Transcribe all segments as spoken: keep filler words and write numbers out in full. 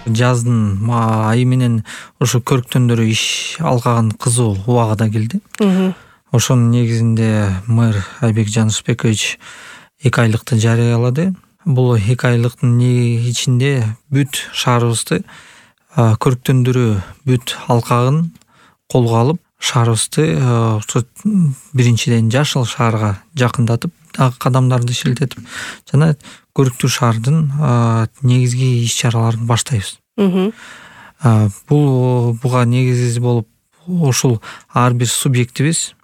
жаздын айы менен ошо көрктөндөр иш алкагын кызуу убагы да келди. Ошонун негизинде мэр Айбек Жанышбекович эки айлыкты жарыялады. Бул эки айлыктын ичинде бүт шаарыбызды көрктөндүрүү бүт алкагын колго алып, шаарыбызды ошо биринчиден жашыл шаарга жакындатып, дагы кадамдарды шилтетип жана көрктүү шаардын негизги иш-чараларын баштайбыз. Бул буга негиз болуп ушул ар бир субъектибиз,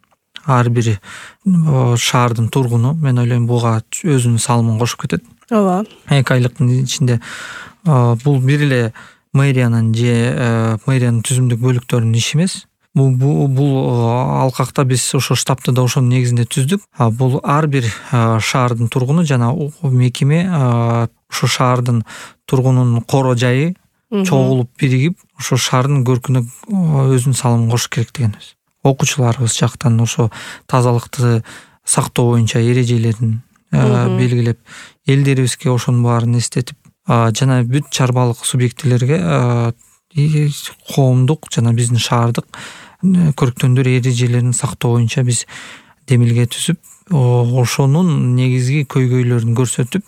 ар бир шаардын тургуну, мен ойлойм, буга өзүнүн салымын кошуп кетет. Ооба. эки айлыктын ичинде бул бир эле мэриянын же мэриянын түзүмдүк бөлүктөрүнүн иши эмес. Бул бул алкакта биз ошо штабты да ошонун негизинде түздүк. Бул ар бир шаардын тургуну жана мекеме ошо шаардын тургунунун коро жайы чогулуп биригип, ошо шаардын көркүнө өзүнүн салымын кошуш керек дегенбиз. Окуучуларыбыз жактан ошо тазалыкты сактоо боюнча эрежелерин белгилеп, элдерибизге ошонун баарын эстетип, жана бүт чарбалык субъектилерге коомдук жана биздин шаардык көрктөндөр эрежелерин сактоо боюнча биз демилге түзүп, ошонун негизги көйгөйлөрүн көрсөтүп,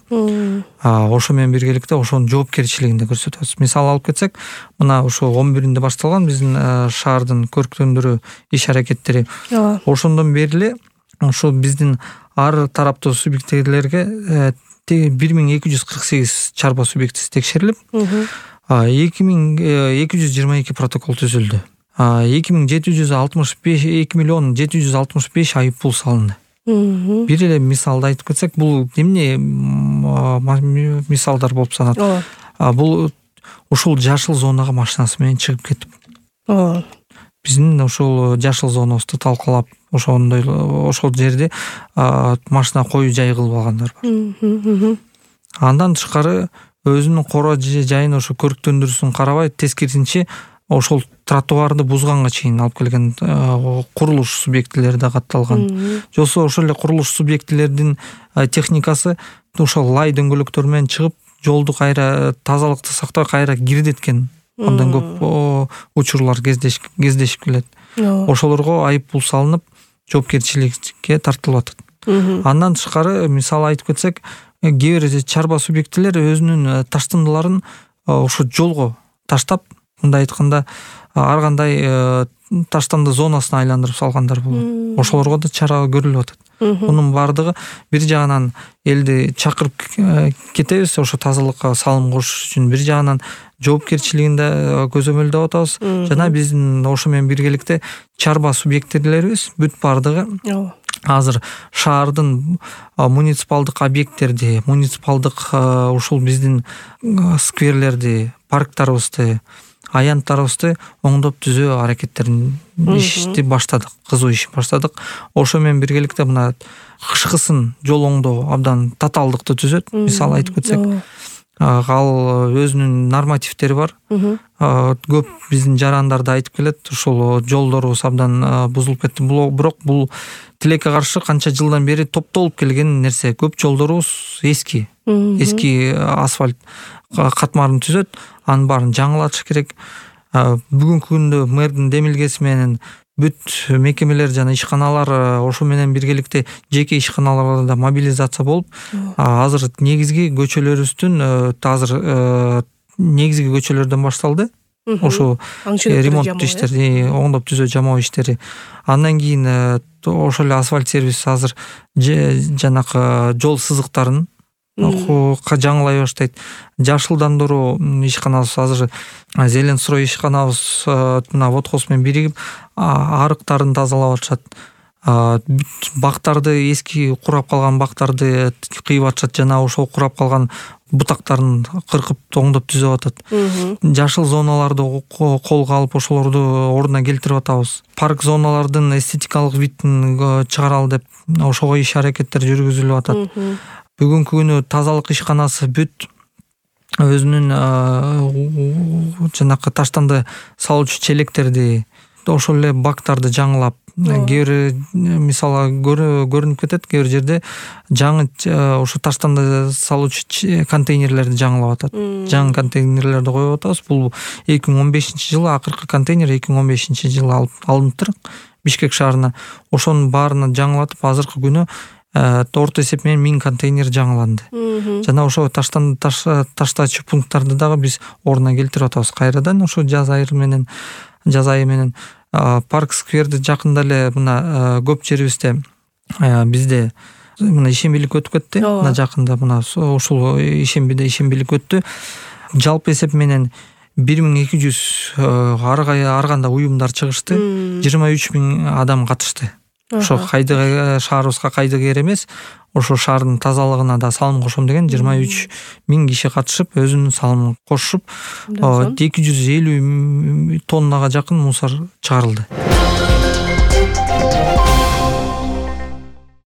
ошо менен биргеликте ошонун жоопкерчилигин да көрсөтөбүз. Мисал алып кетсек, мына ошо он биринде башталган биздин шаардын көрктөндүрүү иш-аракеттери. Ошондон бери эле ошо биздин ар тараптуу субъектилерге бир миң эки жүз кырк сегиз чарба субъектиси текшерилип, эки миң эки жүз жыйырма эки протокол түзүлдү. эки миң жети жүз алтымыш беш эки миллион жети жүз алтымыш беш айып пул салынды. Бир эле мисалды айтып кетсек, бул эмне мисалдар болуп саналат. Бул ушул жашыл зонага машинасы менен чыгып кетип. Биздин ушул жашыл зонабызды талкалап, ошондой ошол жерде машина коюу жай кылып алгандар бар. Андан тышкары өзүнүн коро жайын ошо көрктөндүрүүсүн карабай, тескерисинче ошол тротуарды бузганга чейин алып келген курулуш субъектилери да катталган. Жосо ошол эле курулуш субъектилердин техникасы ошол лай дөңгөлөктөр менен чыгып, жолду кайра тазалыкты сактабай кайра кирдеткен. Андан көп учурлар кездешип келет. Ошолорго айып пул салынып, жоопкерчиликке тартылып атат. Андан тышкары мисал айтып кетсек, кээ бир чарба субъектилер өзүнүн таштандыларын ошо жолго таштап, мындай айтканда, ар кандай таштанды зонасына айландырып салгандар болот. Ошолорго да чара көрүлүп атат. Мунун бардыгы бир жагынан элди чакырып кетебиз ошо тазалыкка салым кошуш үчүн, бир жагынан жоопкерчилигин да көзөмөлдөп атабыз. Жана биздин ошо менен биргеликте чарба субъектилерибиз бүт бардыгы азыр шаардын муниципалдык объекттерди, муниципалдык ушул биздин скверлерди, парктарыбызды, аянттарыбызды оңдоп түзөө аракеттерин ишти баштадык, кызуу иш баштадык. Ошо менен биргеликте мына кышкысын жол оңдоо абдан татаалдыкты түзөт. Мисал айтып кетсек, ал өзүнүн нормативдери бар. Көп биздин жарандар да айтып келет, ушул жолдорубуз абдан бузулуп кетти. Бирок бул тилекке каршы канча жылдан бери топтолуп келген нерсе. Көп жолдорубуз эски, эски асфальт катмарын түзөт. Анын баарын жаңылатыш керек. Бүгүнкү күндө мэрдин демилгеси менен бүт мекемелер жана ишканалар ошо менен биргеликте жеке ишканалар да мобилизация болуп, азыр негизги көчөлөрүбүздүн азыр негизги көчөлөрдөн башталды. Ошо ремонт иштери, оңдоп түзөө жамоо иштери. Андан кийин ошол эле асфальт сервис азыр жанакы жол сызыктарын жаңылай баштайт. Жашылдандыруу ишканабыз азыр Зеленстрой ишканабыз мына водхоз менен биригип арыктарын тазалап атышат. Бактарды, эски курап калган бактарды кыйып атышат жана ошол курап калган бутактарын кыркып оңдоп түзөп атат. Жашыл зоналарды колго алып ошолорду ордуна келтирип атабыз. Парк зоналардын эстетикалык видин чыгаралы деп ошого иш аракеттер жүргүзүлүп атат. Бүгүнкү күнү тазалык ишканасы бүт өзүнүн жанакы таштанды салуучу челектерди ошол эле бактарды жаңылап, кээ бир мисалы көрүнүп кетет, кээ бир жерде жаңы ошо таштанды салуучу контейнерлерди жаңылап атат. Жаңы контейнерлерди коюп атабыз. Бул эки миң он бешинчи жылы акыркы контейнер эки миң он бешинчи жылы алып алыныптыр Бишкек шаарына. Ошонун баарына жаңылатып, азыркы күнү орто эсеп менен миң контейнер жаңыланды. Жана ошо таштанды таштаачу пункттарды дагы биз ордуна келтирип атабыз кайрадан. Ошо жаз айы менен жаз айы менен парк скверди жакында эле мына көп жерибизде бизде мына ишембилик өтүп кетти. Мына жакында мына ушул ишембиде ишембилик өттү. Жалпы эсеп менен бир миң эки жүз ар кандай уюмдар чыгышты. жыйырма үч миң адам катышты. Ошо кайдыга шаарыбызга кайдыгер эмес, ошо шаардын тазалыгына да салым кошом деген жыйырма үч миң киши катышып, өзүнүн салымын кошуп, эки жүз элүү тоннага жакын мусор чыгарылды.